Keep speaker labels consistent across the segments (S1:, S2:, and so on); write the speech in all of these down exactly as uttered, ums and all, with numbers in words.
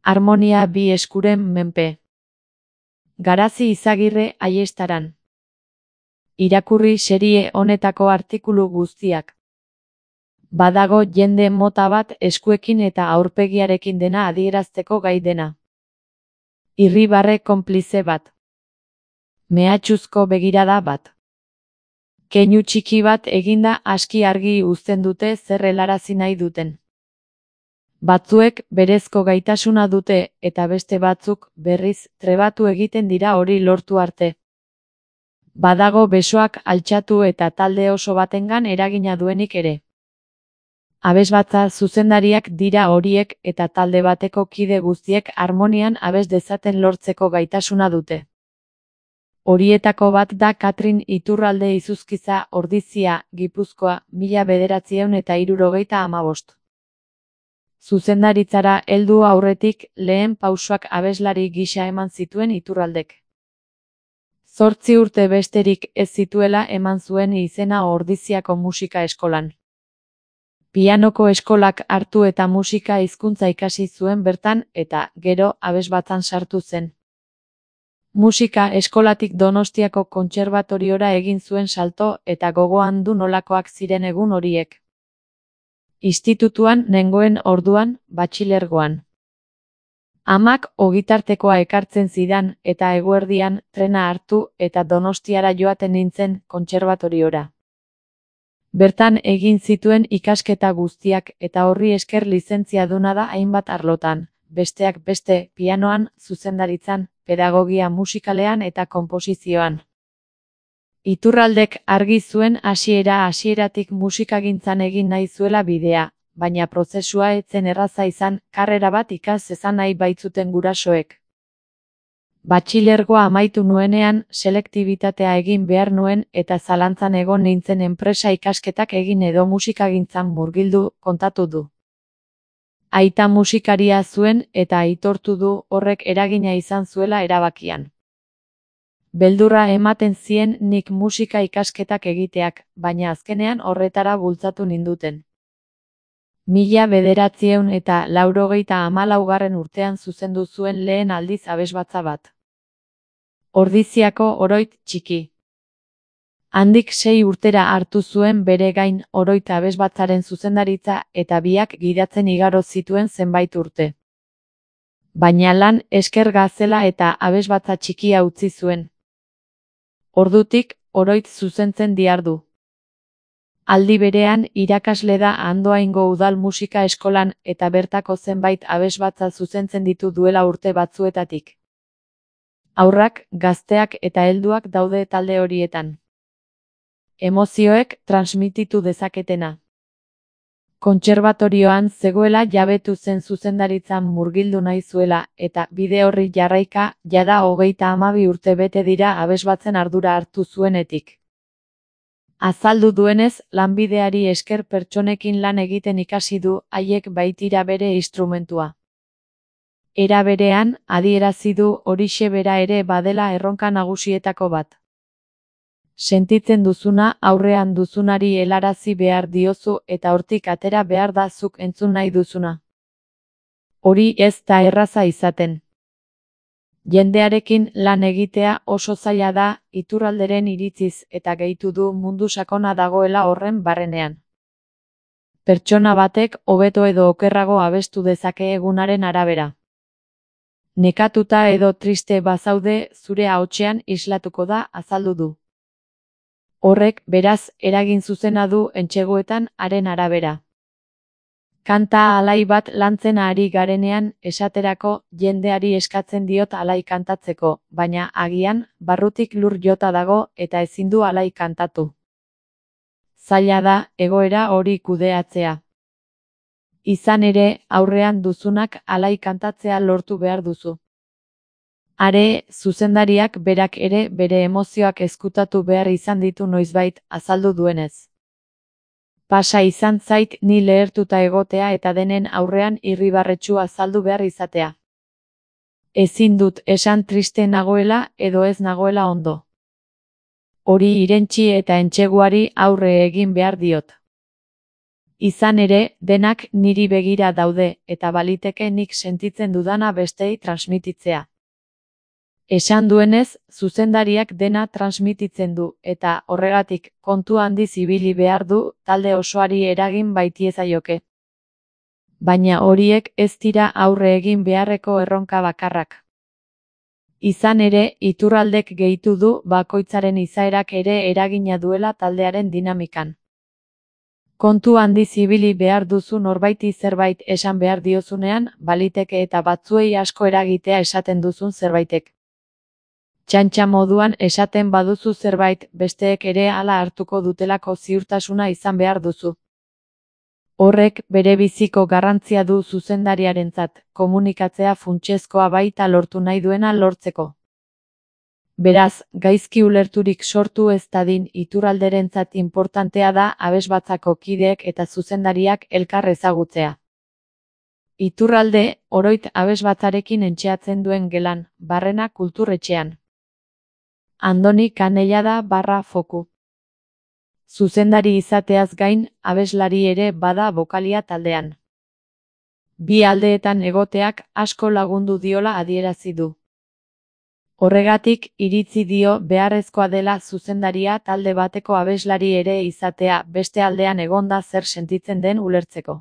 S1: Harmonia bi eskuren menpe. Garazi Izagirre Aiestaran. Irakurri serie honetako artikulu guztiak. Badago jende mota bat eskuekin eta aurpegiarekin dena adierazteko gai dena. Irribarre konplize bat. Mehatxuzko begirada bat. Keinu txiki bat eginda aski argi uzten dute zer helarazi nahi duten. Batzuek berezko gaitasuna dute eta beste batzuk berriz trebatu egiten dira hori lortu arte. Badago besoak altxatu eta talde oso batengan eragina duenik ere. Abesbatza zuzendariak dira horiek eta talde bateko kide guztiek harmonian abes dezaten lortzeko gaitasuna dute. Horietako bat da Katrin Iturralde Izuzkiza Ordizia, Gipuzkoa, mila bederatziehun eta hirurogeita hamabost. Zuzendaritzara heldu aurretik lehen pausoak abeslari gisa eman zituen Iturraldek. Zortzi urte besterik ez zituela eman zuen izena Ordiziako musika eskolan. Pianoko eskolak hartu eta musika hizkuntza ikasi zuen bertan eta gero abesbatzan sartu zen. Musika eskolatik Donostiako kontserbatoriora egin zuen salto eta gogoan du nolakoak ziren egun horiek. Institutuan nengoen orduan, batxilergoan. Amak ogitartekoa ekartzen zidan eta eguerdian trena hartu eta Donostiara joaten nintzen kontserbatoriora. Bertan egin zituen ikasketa guztiak eta horri esker lizentziaduna da hainbat arlotan, besteak beste pianoan, zuzendaritzan, pedagogia musikalean eta konposizioan. Iturraldek argi zuen hasiera hasieratik musikagintzan egin nahi zuela bidea, baina prozesua ez zen erraza izan, karrera bat ikas zezan nahi baitzuten gurasoek. Batxilergoa amaitu nuenean, selektibitatea egin behar nuen eta zalantzan egon nintzen enpresa ikasketak egin edo musikagintzan murgildu, kontatu du. Aita musikaria zuen eta aitortu du horrek eragina izan zuela erabakian. Beldurra ematen zien nik musika ikasketak egiteak, baina azkenean horretara bultzatu ninduten. Mila bederatziehun eta laurogeita hamalaugarren urtean zuzendu zuen lehen aldiz abesbatza bat. Ordiziako Oroit Txiki. Handik sei urtera hartu zuen bere gain Oroit abesbatzaren zuzendaritza eta biak gidatzen igaro zituen zenbait urte. Baina lan esker gazela eta abesbatza txikia utzi zuen. Ordutik, Oroit zuzentzen dihardu. Aldi berean irakasle da Andoaingo Udal Musika Eskolan eta bertako zenbait abesbatza zuzentzen ditu duela urte batzuetatik. Haurrak, gazteak eta helduak daude talde horietan. Emozioek transmititu dezaketena. Kontserbatorioan zegoela jabetu zen zuzendaritzan murgildu nahi zuela eta bide horri jarraika jada hogeita hamabi urte bete dira abesbatzen ardura hartu zuenetik. Azaldu duenez, lanbideari esker pertsonekin lan egiten ikasi du haiek baitira bere instrumentua. Era berean, adierazi du horixe bera ere badela erronka nagusietako bat. Sentitzen duzuna aurrean duzunari helarazi behar diozu eta hortik atera behar da zuk entzun nahi duzuna. Hori ez da erraza izaten. Jendearekin lan egitea oso zaila da, Iturralderen iritziz eta gehitu du mundu sakona dagoela horren barrenean. Pertsona batek hobeto edo okerrago abestu dezake egunaren arabera. Nekatuta edo triste bazaude zure ahotsean islatuko da, azaldu du. Horrek, beraz, eragin zuzena du entseguetan haren arabera. Kanta alai bat lantzen ari garenean, esaterako, jendeari eskatzen diot alai kantatzeko, baina agian, barrutik lur jota dago eta ezin du alai kantatu. Zaila da, egoera hori kudeatzea. Izan ere, aurrean duzunak alai kantatzea lortu behar duzu. Are, zuzendariak berak ere bere emozioak ezkutatu behar izan ditu noizbait, azaldu duenez. Pasa izan zait ni lehertuta egotea eta denen aurrean irribarretsu azaldu behar izatea. Ezin dut esan triste nagoela edo ez nagoela ondo. Hori irentsi eta entseguari aurre egin behar diot. Izan ere, denak niri begira daude, eta baliteke nik sentitzen dudana bestei transmititzea. Esan duenez, zuzendariak dena transmititzen du, eta, horregatik, kontu handiz ibili behar du, talde osoari eragin baitiezaioke. Baina horiek ez dira aurre egin beharreko erronka bakarrak. Izan ere, Iturraldek gehitu du bakoitzaren izaerak ere eragina duela taldearen dinamikan. Kontu handiz ibili behar duzu norbaiti zerbait esan behar diozunean, baliteke eta batzuei asko eragitea esaten duzun zerbaitek. Txantxa moduan esaten baduzu zerbait, besteek ere hala hartuko dutelako ziurtasuna izan behar duzu. Horrek bere biziko garrantzia du zuzendariarentzat, komunikatzea funtsezkoa baita lortu nahi duena lortzeko. Beraz, gaizki ulerturik sortu ez dadin Iturralderentzat inportantea da abesbatzako kideek eta zuzendariak elkar ezagutzea. Iturralde, oroit abesbatzarekin entxeatzen duen gelan, Barrena kulturretxean. Andoni Kanellada barra foku. Zuzendari izateaz gain, abeslari ere bada bokalia taldean. Bi aldeetan egoteak asko lagundu diola adierazi du. Horregatik, iritzi dio beharrezkoa dela zuzendaria talde bateko abeslari ere izatea beste aldean egonda zer sentitzen den ulertzeko.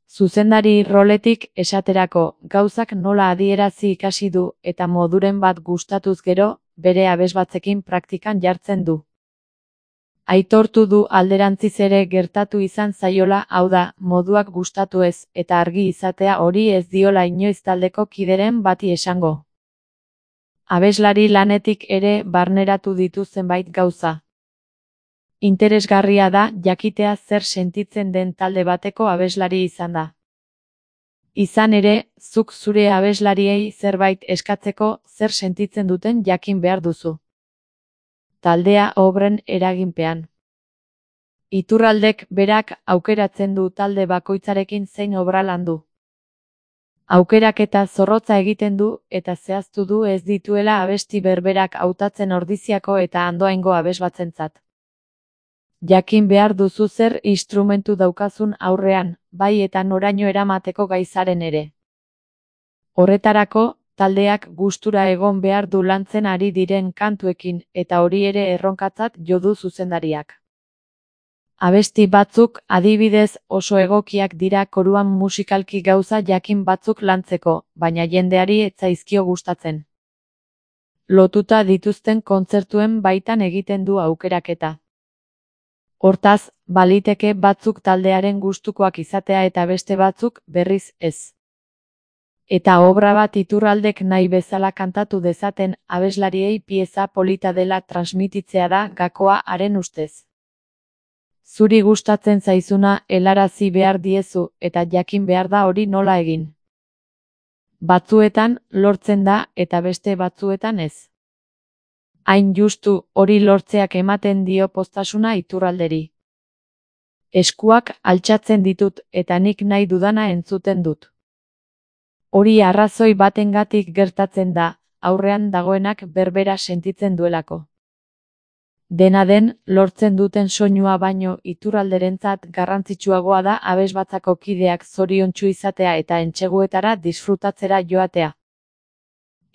S1: Zuzendari roletik esaterako, gauzak nola adierazi ikasi du eta moduren bat gustatuz gero, bere abesbatzekin praktikan jartzen du. Aitortu du alderantziz ere gertatu izan zaiola, hau da, moduak gustatu ez, eta argi izatea hori ez diola inoiz taldeko kideren bati esango. Abeslari lanetik ere barneratu ditu zenbait gauza. Interesgarria da jakitea zer sentitzen den talde bateko abeslari izan da. Izan ere, zuk zure abeslariei zerbait eskatzeko zer sentitzen duten jakin behar duzu. Taldea obren eraginpean. Iturraldek berak aukeratzen du talde bakoitzarekin zein obra landu. Aukeraketa zorrotza egiten du eta zehaztu du ez dituela abesti berberak hautatzen Ordiziako eta Andoaingo abesbatzentzat. Jakin behar duzu zer instrumentu daukazun aurrean, bai eta noraino eramateko gaizaren ere. Horretarako, taldeak gustura egon behar du lantzen ari diren kantuekin eta hori ere erronkatzat jo du zuzendariak. Abesti batzuk, adibidez, oso egokiak dira koruan musikalki gauza jakin batzuk lantzeko, baina jendeari ez zaizkio gustatzen. Lotuta dituzten kontzertuen baitan egiten du aukeraketa. Hortaz, baliteke batzuk taldearen gustukoak izatea eta beste batzuk, berriz, ez. Eta obra bat Iturraldek nahi bezala kantatu dezaten abeslariei pieza polita dela transmititzea da gakoa haren ustez. Zuri gustatzen zaizuna helarazi behar diezu eta jakin behar da hori nola egin. Batzuetan lortzen da eta beste batzuetan ez. Hain justu hori lortzeak ematen dio poztasuna Iturralderi. Eskuak altxatzen ditut eta nik nahi dudana entzuten dut. Hori arrazoi batengatik gertatzen da, aurrean dagoenak berbera sentitzen duelako. Dena den, lortzen duten soinua baino Iturralderentzat garrantzitsuagoa da abesbatzako kideak zoriontsu izatea eta entseguetara disfrutatzera joatea.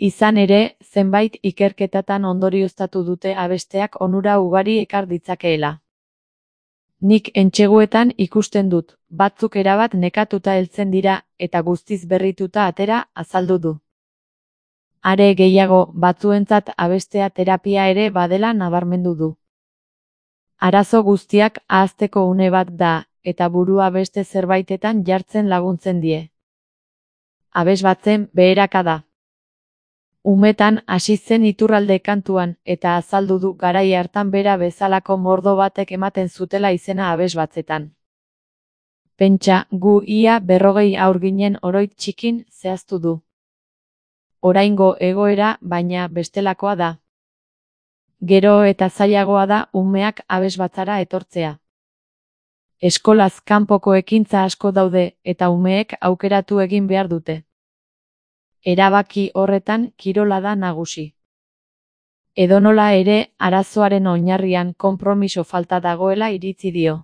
S1: Izan ere, zenbait ikerketatan ondorioztatu dute abesteak onura ugari ekar ditzakeela. Nik entseguetan ikusten dut, batzuk erabat nekatuta heltzen dira eta guztiz berrituta atera azaldu du. Are gehiago, batzuentzat abestea terapia ere badela nabarmendu du. Arazo guztiak ahazteko une bat da, eta burua beste zerbaitetan jartzen laguntzen die. Abesbatzen beheraka da. Umetan hasi zen Iturralde kantuan, eta azaldu du garai hartan bera bezalako mordo batek ematen zutela izena abesbatzetan. Pentsa, gu ia berrogei haur ginen oroit txikin zehaztu du. Oraingo egoera, baina bestelakoa da. Gero eta zailagoa da umeak abesbatzara etortzea. Eskolaz kanpoko ekintza asko daude eta umeek aukeratu egin behar dute. Erabaki horretan kirola da nagusi. Edonola ere, arazoaren oinarrian konpromiso falta dagoela iritzi dio.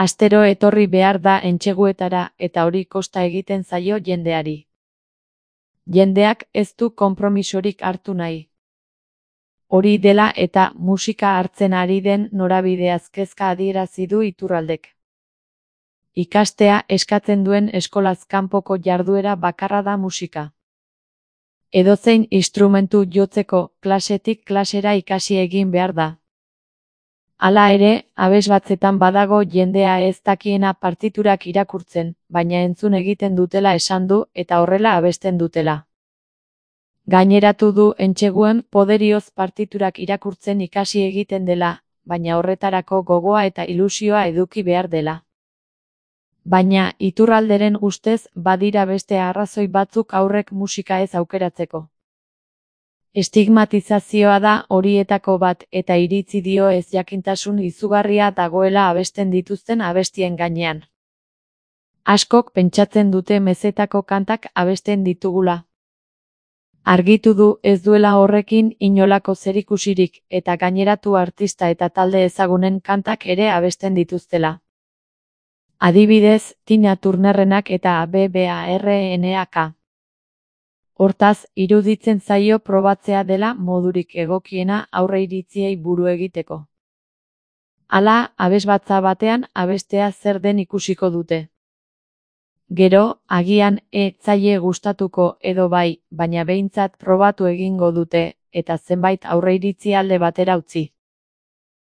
S1: Astero etorri behar da entseguetara eta hori kosta egiten zaio jendeari. Jendeak ez du konpromisorik hartu nahi. Hori dela eta musika hartzen ari den norabideaz kezka adierazi du Iturraldek. Ikastea eskatzen duen eskolaz kanpoko jarduera bakarra da musika. Edozein instrumentu jotzeko klasetik klasera ikasi egin behar da. Hala ere, abesbatzetan badago jendea ez dakiena partiturak irakurtzen, baina entzun egiten dutela esan du eta horrela abesten dutela. Gaineratu du entseguen poderioz partiturak irakurtzen ikasi egiten dela, baina horretarako gogoa eta ilusioa eduki behar dela. Baina Iturralderen ustez badira beste arrazoi batzuk haurrek musika ez aukeratzeko. Estigmatizazioa da horietako bat eta iritzi dio ez jakintasun izugarria dagoela abesten dituzten abestien gainean. Askok pentsatzen dute mezetako kantak abesten ditugula. Argitu du ez duela horrekin inolako zerikusirik eta gaineratu artista eta talde ezagunen kantak ere abesten dituztela. Adibidez, Tina Turnerrenak eta B B A R N A K. Hortaz, iruditzen zaio probatzea dela modurik egokiena aurreiritziei buru egiteko. Hala, abesbatza batean abestea zer den ikusiko dute. Gero, agian ez zaie gustatuko edo bai, baina behintzat probatu egingo dute, eta zenbait aurreiritzi alde batera utzi.